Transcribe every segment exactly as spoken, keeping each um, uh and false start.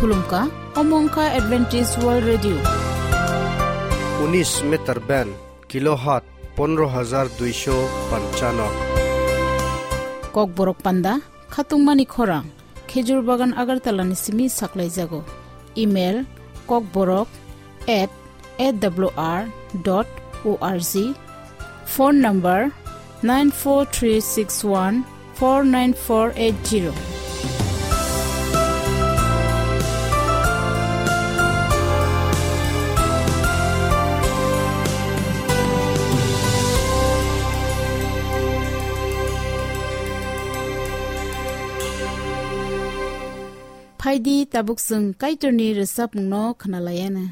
Khulumkha, omo wngkha Adventist World Radio. Unis meter band, kilohertz pondro hajar duisho panchano. Kokborok panda, khatungmani khorang, Khejur Bagan Agartala ni simi saklaijago. Email, kokborok at A W R dot O R G. Phone number nine four three six one four nine four eight zero. Phaidi tabuk chwng Kaitorni rwchapmungno khwnalaiana.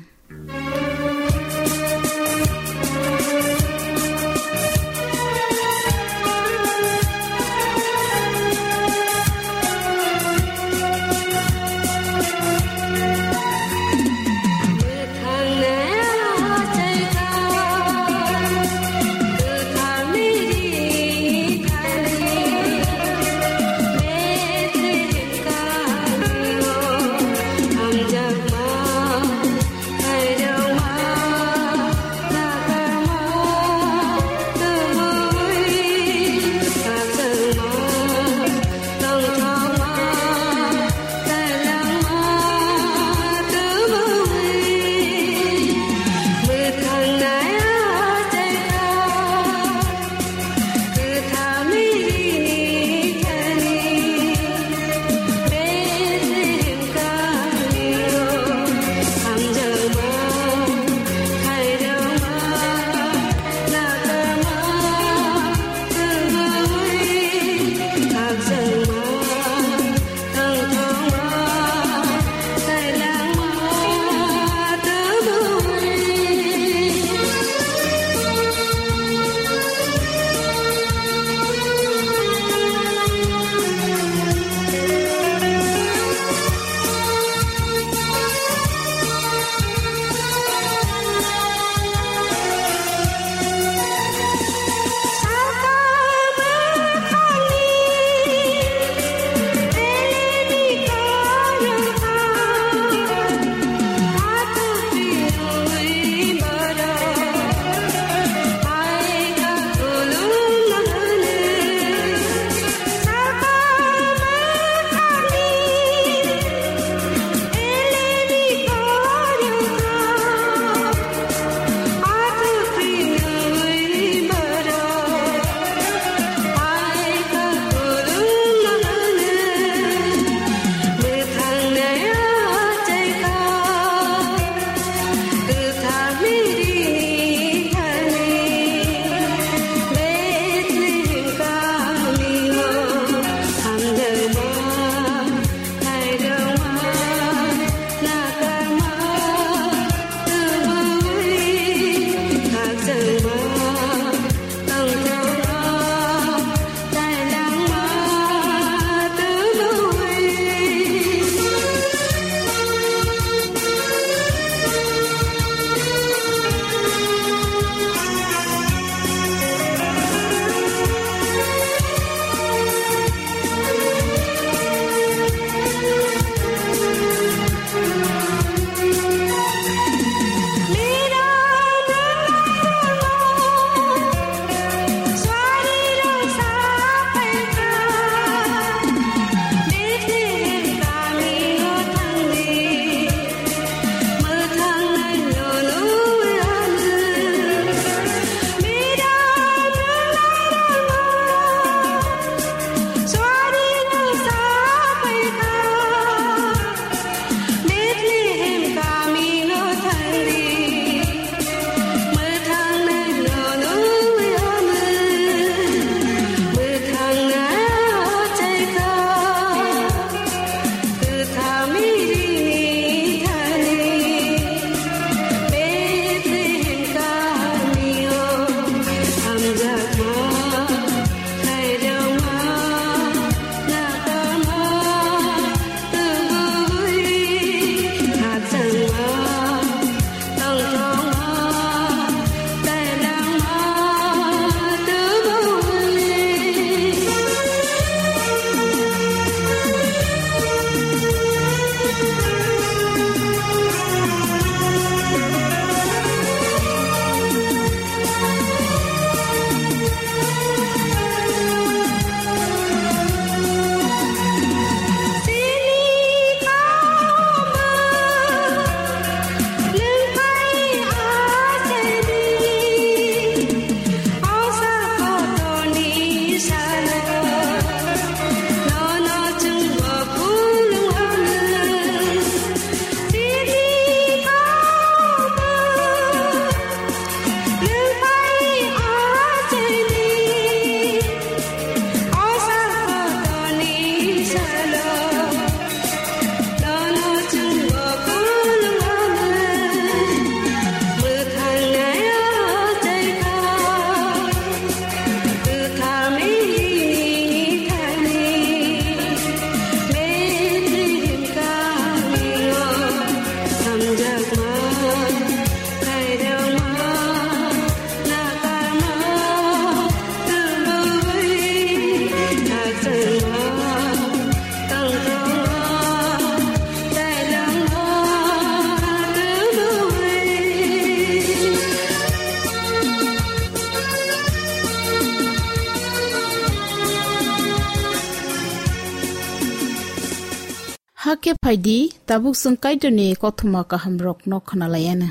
Khe phai di, tabuk chwng Kaitorni kothoma kahamrokno khna lai anw.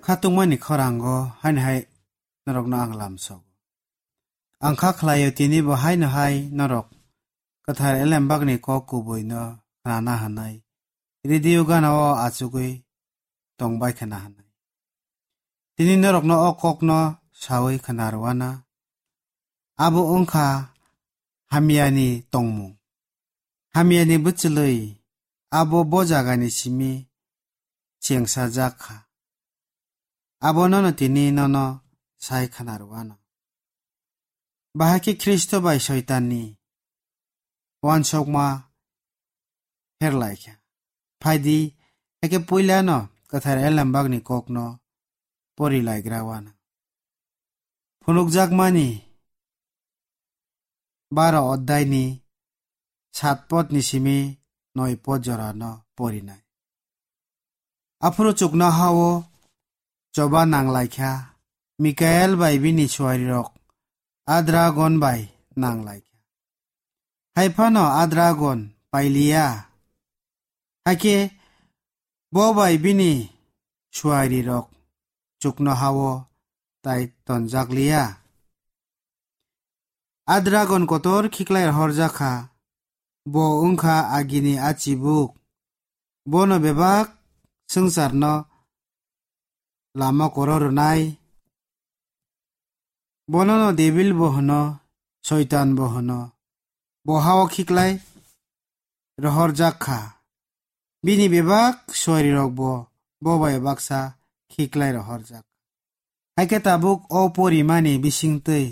Khatungmani khorango haino hai norokno ang lamsogo. Ang kha khlaio tini bo haino hai norok kwthar elembakni kok kubuino khnana hwnwi, radio gana-o achugwi tongbai khna hwnwi. Tini norokno o kokno saui khna rwna. Abo wngkha hamyani tongmung. Hamyani bwchwlwi abo bo jagani simi chengsajak kha. Abono no tini nono sai khna rwano. Bahai khe Khristo bai Soitanni uansukma pherlaikha. Phaidi, eke puilano kwthar elembakni kokno porilaigra uana. Phunukjakmani baro oddaini sat podni simi noi pod jorano porinai. Aphuru chuknoha-o choba nanglaikha, Mikael bai bini suarirok a dragon bai nanglaikha. Hai phano a dragon pailiya. Hakhe bo bai bini suarirok chuknoha-o tai tonjakliya. A dragon kotor khiklai rohorjak kha, bo wngkha agini a chibuk. Bono bebak swngcharno lama koro rwnai. Bonono Debil bo hwno, Soitan bo hwno. Bo ha-o khiklai rohorjak kha. Bini bebak suarirokbo bo bai baksa khiklai rohorjak. Hai khe tabuk o porimani bisingtwi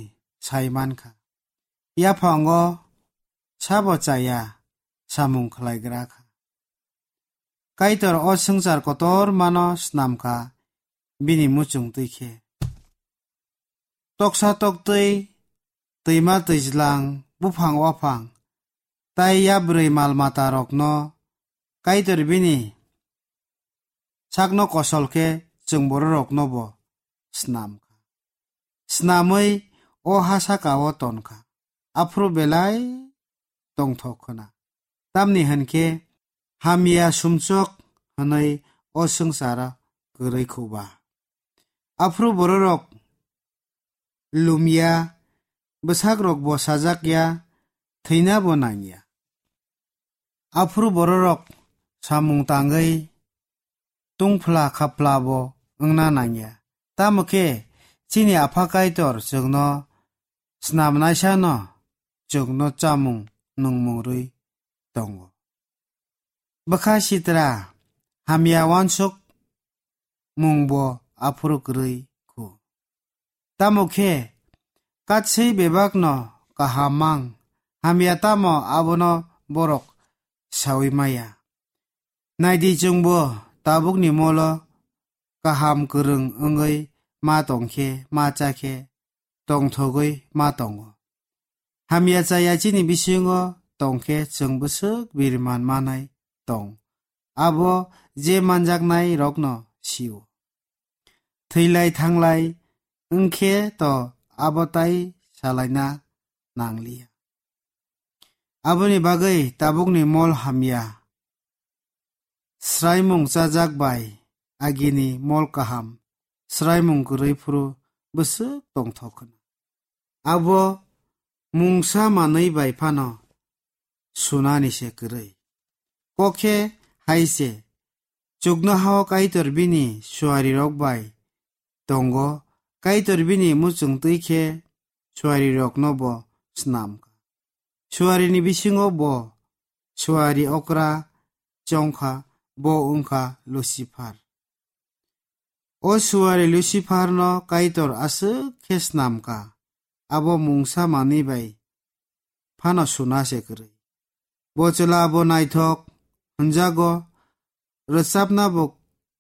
sai man kha. Yaphango sabo chaya samung khlaigra kha. Kaitor o swngchar kotor mano snam kha bini muchung twi khe. Toksa toktwi, twima twijlang, buphang waphang, tai yabrwi mal matarokno Kaitor bini sakno kosol khe chwng bororoknobo snam kha. Snamwi o ha saka-o ton kha. Aphuru belai tongthok khna. Tamni hwn khe hamya sumsok hwnwi o swngcharo kwrwi khuba. Aphuru bororok lumya, bwsakrokbo sajakya, thwinabo nangya. Aphuru bororok samung tangwi tungphla khaplabo wngna nangya. Tamo khe chini Apha Kaitor chwngno snamnaisano chwngno chamung nungmung rwi tongo. Bwkha sitra hamya uansuk mungbo aphuru kwrwi khu. Tamo khe katswi bebakno kaham mang hamya tamo abono borok saui maya. Naidi chwngbo tabukni molo kaham kwrwng wngwi ma tongkhe ma chakhe tongthogwi ma tongo. Hamya chaya chini bisingo tongkhe chwng bwswk biriman manai tong. Abo je manjaknai rokno sio. Thwilai thanglai wngkhe to abo tai salaina nangliya. Aboni bagwi tabukni mol hamya. Sraimung chajak bai agini mol kaham, sraimung kwrwi phuru bwswk tongthok khna. Abo mungsa manwi bai phano sunani se kwrwi. Kok khe hai se, chuknoha-o Kaitor bini suarirok bai tongo, Kaitor bini muchung twi khe suarirokno bo snam kha. Suarini bisingo bo suari okra chong kha, bo wng kha Lucifer. O suari Luciferno Kaitor aswk khe snam kha, abo mungsa manwi bai phano suna se kwrwi. Bo chwla bo naithok hwnjago, rwchapna bo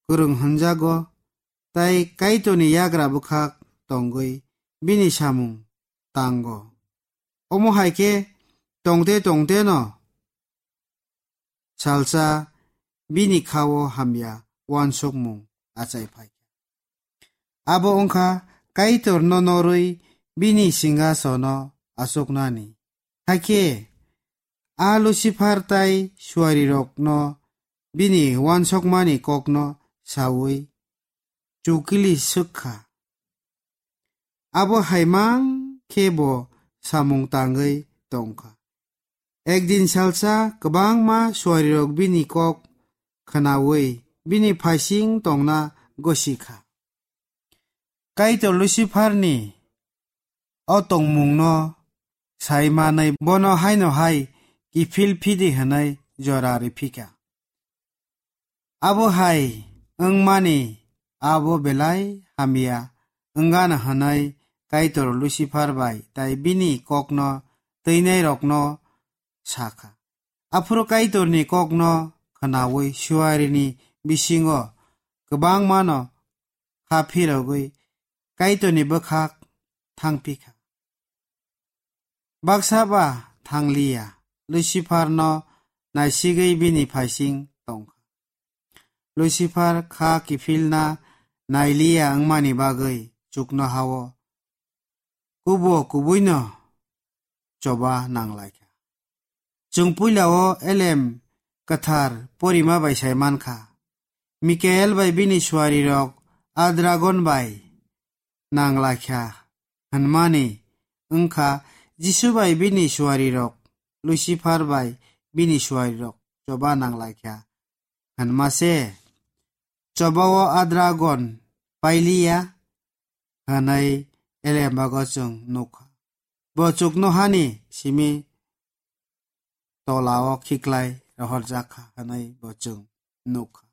kwrwng hwnjago, tai Kaitorni yagra bwkhak tongwi bini samung tango. Omo hai khe tongte tongteno salsa bini kha-o hamya uansukmung achai phai kha. Abo wngkha Kaitorno norwi bini singhasono achuknani. Hakhe a Lucifer tai suarirokno bini uansukmani kokno saui chukili swk kha. Abo hai mang khe bo samung tangwi tong kha. Ekdin salsa kwbangma suarirok bini kok khnaui bini phaising tongna gosi kha. Kaitor Luciferni o tongmungno sai manwi bono haino hai kiphil phidi hwnwi jora rw phi kha. Abo hai wngmani abo belai hamya wngano hwnwi Kaitor Lucifer bai tai bini kokno twinairokno sa kha. Aphuru Kaitorni kokno khnaui suarini bisingo kwbangmano kha phirogwi Kaitorni bwkhak thang phi kha. Baksa ba thang li ya, Luciferno naisigwi bini phaising tong kha. Lucifer kha kiphilna nai li ya wngmani bagwi chuknoha-o kubo kubuino choba nang lai kha. Chwng puila-o elem kwthar porima bai sai man kha. Mikael bai bini suarirok a dragon bai nang lai kha hwnmani wng kha Jisu bai bini suarirok, Lucifer bai bini suarirok choba nang lai kha hwnma se. Choba-o a dragon pai li ya hwnwi elembago chwng nuk kha. Bo chuknohani simi tola-o khiklai rohorjak kha hwnwi bo chwng nuk kha.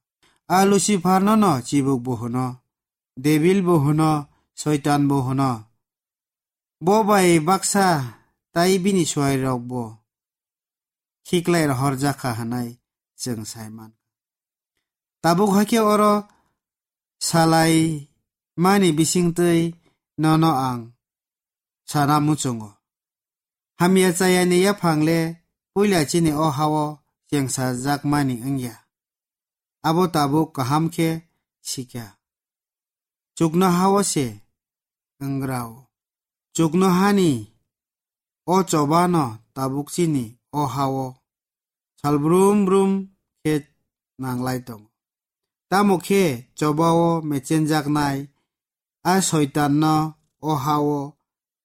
A Luciferno no chibuk bo hwno, Debil bo hwno, Soitan bo hwno. Bo bai baksa tai bini suarirok bo khiklai rohorjak kha hwnwi chwng sai man kha. Tabuk hakhe oro salai mani bisingtwi nono ang sana muchungo. Hamya chayani yaphang le puila chini o ha-o chengsajakmani wngya. Abo tabuk kaham khe sikha. Chuknoha-o se wng gra-o. Chuknohani o choba no tabuk chini o ha-o sal brum brum khe nang lai tongo. Tamo khe choba-o mechenjaknai a Soitanno o ha-o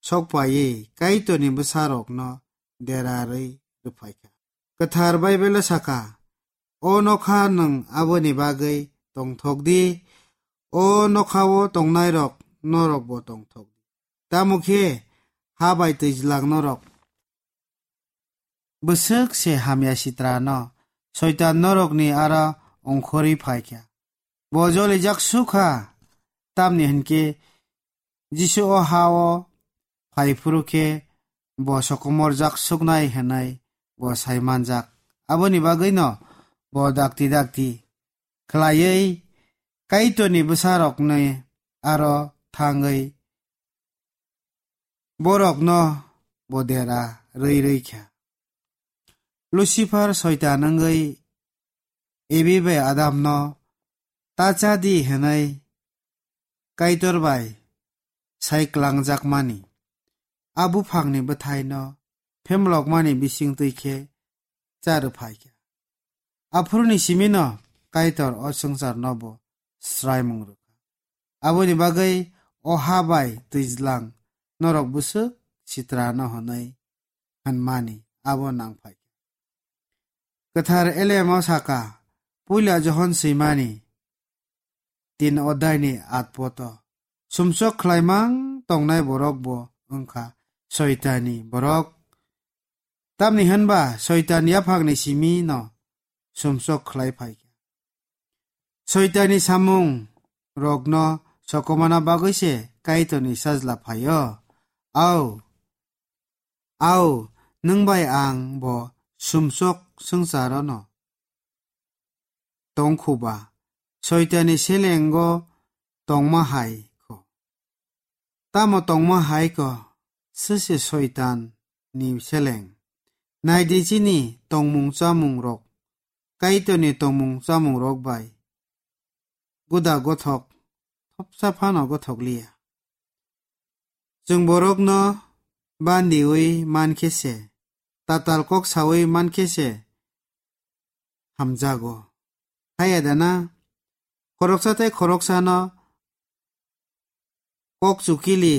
sokpaiwi Kaitorni bwsarokno dera rwi rwphai kha. Kwthar Baibelo sa kha, "O nokha nwng aboni bagwi tongthok di, o nokha-o tongnairok norokbo tongthok di. Tamo khe ha bai twijlang norok bwswk se hamya sitrano Soitan norokni aro ongkhorwi phai kha. Bo jolijak su kha, tamni hwn khe Jisu o ha-o phai phuru khe bo sokomorjak suknai hwnwi bo sai manjak. Aboni bagwino bo dakti dakti khlaiwi Kaitorni bwsarokni aro thangwi borokno bo dera rwi rwi kha." Lucifer Soitan wngwi Evi bai Adamno ta cha di hwnwi Kaitor bai sai klangjakmani, a buphangni bwthaino phemlokmani bisingtwi khe cha rwphai kha. Aphuruni simino Kaitor o swngcharno bo swraimung rw kha. Aboni bagwi o ha bai twijlang norok bwswk sitrano hwnwi hwnmani abo nang phai kha. Kwthar Elemo sa kha, puila Johon swimani tin odhaini at poto, sumsok khlaimang tongnai borok bo wng kha Soitani borok. Tamni hwn ba Soitan yaphangni simi no sumsok khlai phai kha. Soitani samung rokno sokomana bagwi se Kaitorni sajla phaio. Au, au, nwng bai ang bo sumsok swngcharono tongkhuba, Soitani selengo tongma hai kho. Tamo tongma hai kho, sese Soitan ni seleng. Naidi chini tongmung chamung rok, Kaitorni tongmung chamung rok bai guda gothok, thopsa phano gothok liya. Chwng borokno bandiwi mankhe se, tatal kok sawi mankhe se hamjago. Haya dana? Khoroksa tei khoroksano kok chukili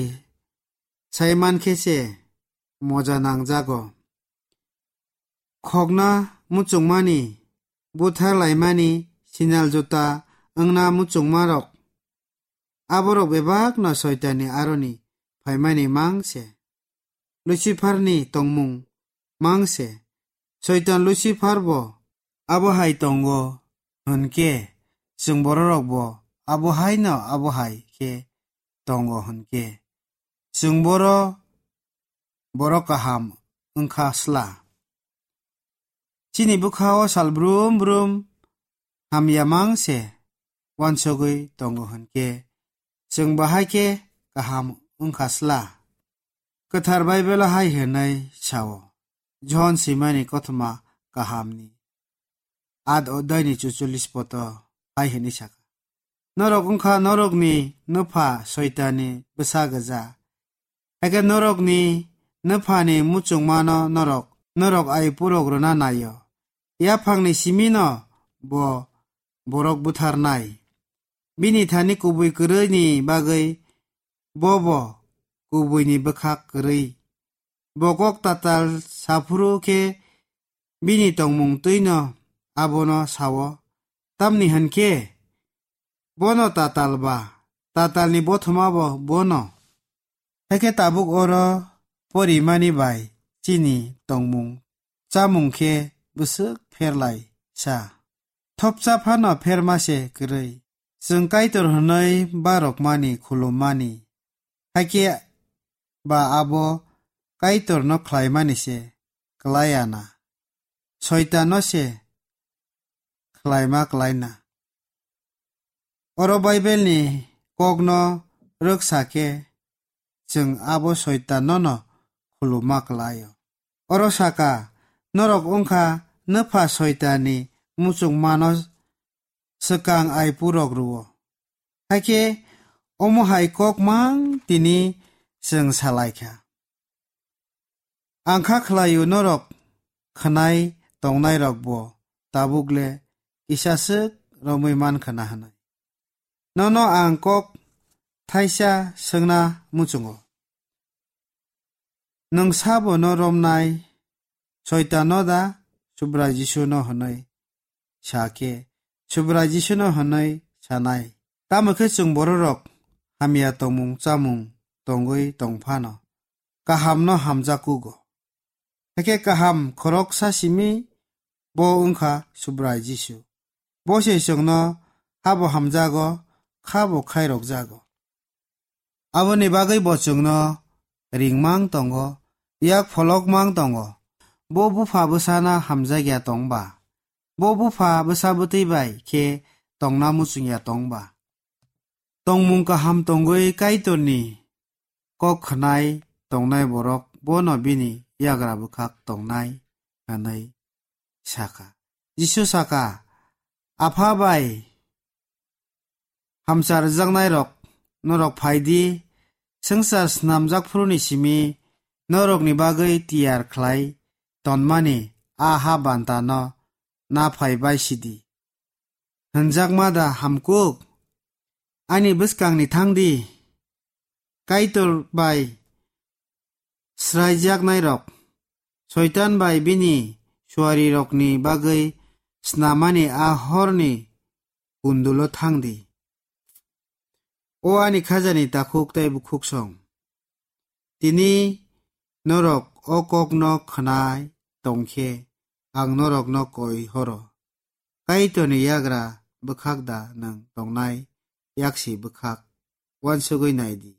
sai mankhe se moja nangjago. Khokna muchungmani, buthar laimani, sinal juta wngna muchungmarok, aborok bebakno Soitanni aroni phaimani mang se. Luciferni tongmung mang se. Soitan Lucifer bo abo hai tongo hwn khe, chwng bororok bo abo hai no abo hai khe tongo hwn khe, chwng boro, boro kaham wngkha sla. Chini bwkha-o sal brum brum hamya mang se uansugwi tongo hwn khe, chwng bahai khe kaham wngkha sla. Kwthar Baibelo hai hwnwi sao, Johon swimani kothoma kahamni at odai ni chuchullis poto hai hwnwi sakha, "Norok wngkha norokni nupha Soitanni bwsa gwja. Hakhe norokni nuphani muchungmano norok, norok aipurok rwna naio. Yaphangni simino bo borok butharnai. Bini thani kubui kwrwini bagwi bobo kubuini bwkhak kwrwi. Bo kok tatal saphuru khe bini tongmung twino abono sao. Tamni hwn khe bono tatal ba, tatalni bothoma bo bono." Hakhe tabuk oro porimani bai chini tongmung chamung khe bwswk pherlai sa. Thopsa phano pherma se kwrwi. Chwng Kaitor hwnwi barokmani khulummani, hakhe ba abo Kaitorno khlaimani se klai ya na, Soitanno se khlaima klai na. Oro Baibelni kokno rwksa khe chwng abo Soitanno no khuluma klai-o. Oro saka, "Norok wngkha nupha Soitanni muchungmano swkang aipurok rwo." Hakhe omo hai kok mang tini chwng salai kha. Ang kha khlai-o norok khwnai tongnairok bo tabuk le kisa swk romwi man khna hwnwi. Nono ang kok thaisa swngna muchungo. Nwng sabo no romnai, Soitan no da, Subrai Jisu no hwnwi sa khe, Subrai Jisu no hwnwi sanai. Tamo khe chwng bororok hamya tongmung chamung tongwi tong phano, kaham no hamjak kugo. Hakhe kaham khoroksa simi bo wngkha Subrai Jisu. Bo se chwngno habo hamjago, khabo khairokjago. Aboni bagwi bo chwngno ringmang tongo, yak pholokmang tongo. Bo bupha bwsano hamjakya tongba, bo bupha bwsa bwtwi bai khe tongna muchungya tongba. Tongmung kaham tongwi Kaitorni kok khwnai tongnai borok bono bini yagra bwkhak tongnai hwnwi sakha. Jisu sakha, "Apha bai hamsa rwjaknairok, norok phai di, swngchar snamjak phuruni simi norokni bagwi tiyar khlai tonmani a ha bantano na phai bai sidi. Hwnjakma da hamkuk? Ani bwskangni thang di. Kaitor bai sraijaknairok, Soitan bai bini suarirokni bagwi snamani a horni kundulo thang di. O ani khajani takhuk tei bukhuksong, tini norok o kokno khwnai tong khe, ang norokno koi horo. Kaitorni yagra bwkhak da nwng tongnai yaksi bwkhak? Uansugwi nai di,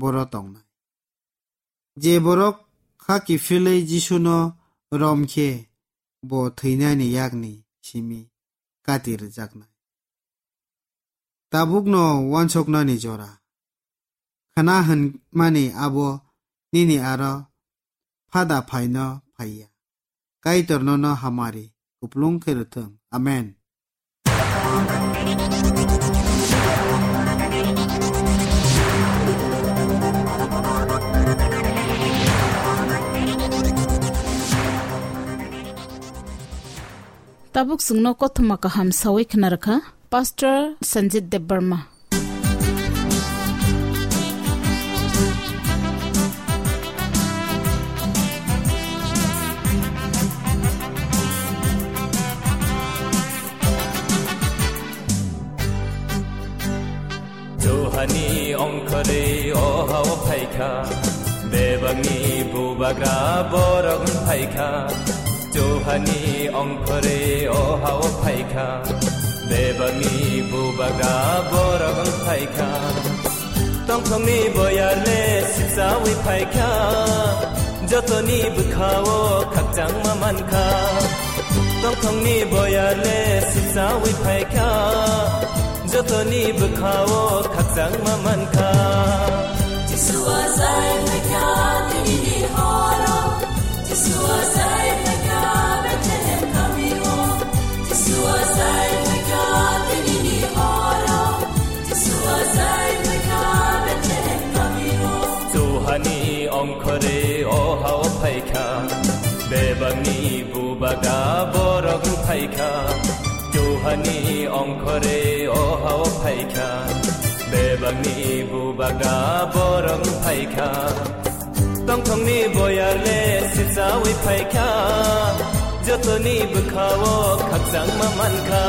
boro tongnai. Je borok kha kiphilwi Jisuno rom khe, bo thwinani yakni simi kati rwjaknai. Tabukno uansuknani jora. Khna hwnmani abo nini aro phada phaino phaiya. Kaitor nono hamari kuplung khe rwthwng. Amen. Tabuk chwngno kothoma kaham sawi khna rwkha Pastor Sanjit Debbarma. Johani ongkhorwi o hao phaikha, bebakni bubagra borok phaikha. Johani ongkhorwi o hao phaikha, bebakni bubagra borok phaikha. Tongthokni boyarle sipsawi phaikha, jotoni bwkhao khakchangma mankha. Tongthokni boyarle sipsawi phaikha, jotoni bwkhao khakchangma mankha. Jisua zai phaikha tinini horo, Jisua zai phaikha Bethlehem kamio, Jisua zai phaikha tinini horo, Jisua zai phaikha Bethlehem kamio. Johani ongkhorwi o hao phaikha, bebakni bubagra borok phaikha. Johani ongkhorwi o hao phaikha, bebakni bubagra borok phaikha. Tongthokni boyarle sipsawi phaikha, jotoni bwkhao khakchangma mankha.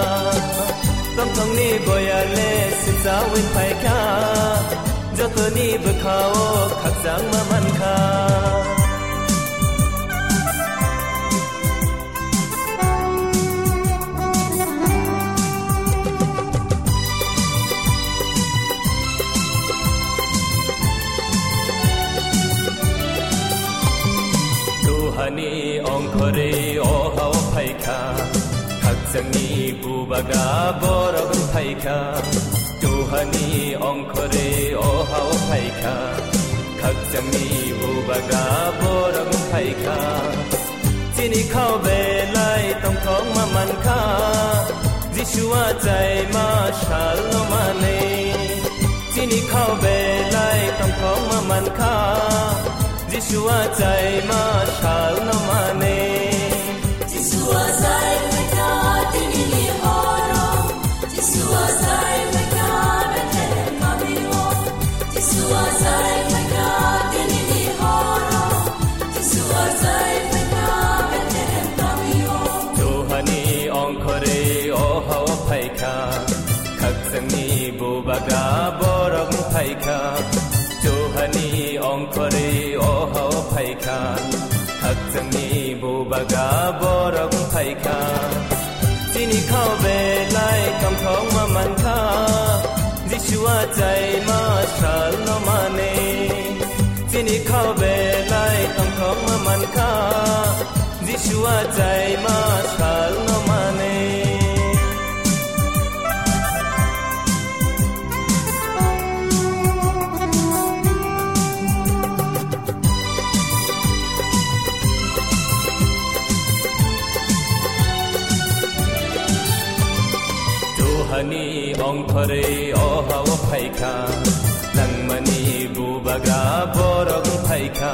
Tongthokni boyarle sipsawi phaikha, jotoni bwkhao khakchangma mankha. Johani ongkhorwi o hao phaikha, khakchangni bubagra borok phaikha. Johani ongkhorwi o hao phaikha, khakchangni bubagra borok phaikha. Chini khao belai tongthokma mankha, Jisua chaima salno manwi. Chini khao belai tongthokma mankha, Jisua chaima salno manwi. Jisua zai phaikha tinini horo, Jisua zai phaikha Bethlehem kamio, Jisua zai phaikha tinini horo, Jisua zai phaikha Bethlehem kamio. Johani ongkhorwi o hao phaikha, khakchangni bubagra borok phaikha. Johani ongkhorwi o hao phaikha, khakchangni bubagra borok phaikha. Chini khao belai tongthokma mankha, Jisua chaima salno manwi. Chini khao belai tongthokma mankha, Jisua chaima salno manwi. Johani ongkhorwi o hao phaikha, langmani bubagra borok phaikha.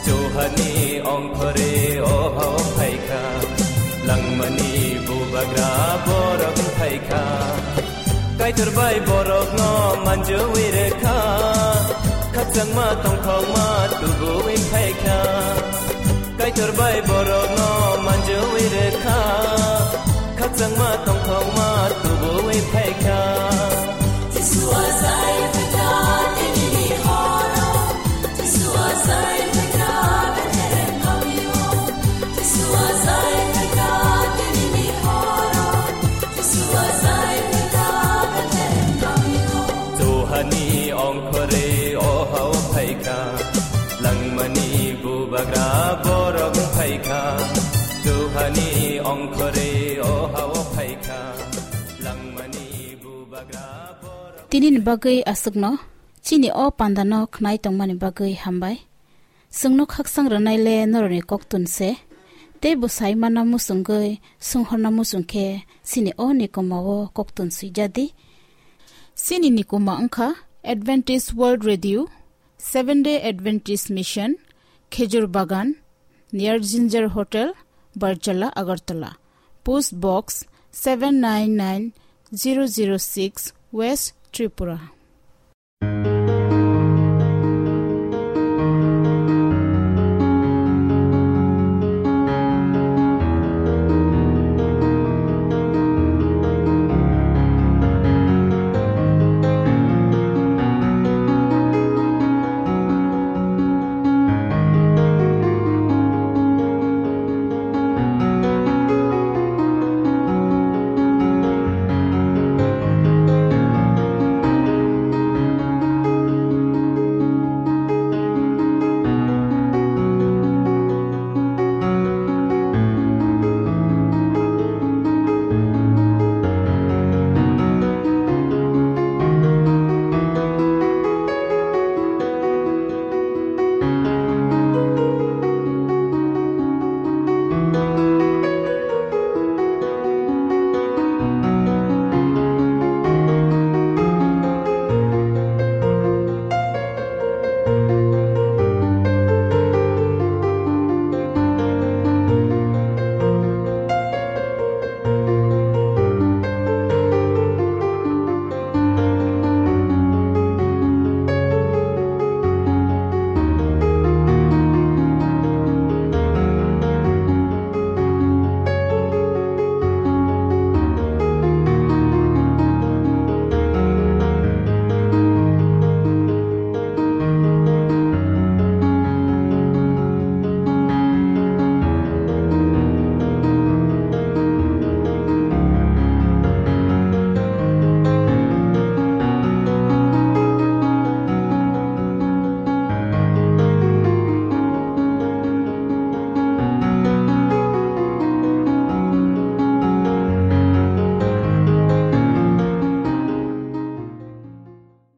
Johani ongkhorwi o hao phaikha, langmani bubagra borok phaikha. Kaitor bai borokno manjui rwkha, khakchangma tongthokma tubuwi phaikha. Kaitor bai borokno manjui rwkha, khakchangma tongthokma tubuwi phaikha. Jisua zai phaikha tinini horo, Jisua zai phaikha Bethlehem kamio, Jisua zai phaikha tinini horo, Jisua zai phaikha Bethlehem kamio. Johani ongkhorwi o hao phaikha, langmani bubagra borok phaikha. Johani ongkhorwi o hao phaikha, langmani bubagra borok. Tinini bagwi aswkno, chini o pandano khnai tongmani bagwi hambai. Chwngno khaksang rwnaile norokni koktun se, tei bwsai mana muchungwi swnghorna muchung khe chini o nikoma o koktun swijadi. Chini nikoma wngkha Adventist World Radio, Seven Day Adventist Mission, Khejur Bagan, near Ginger Hotel, Barjala, Agartala. Post Box seven nine nine zero zero six, West Tripura.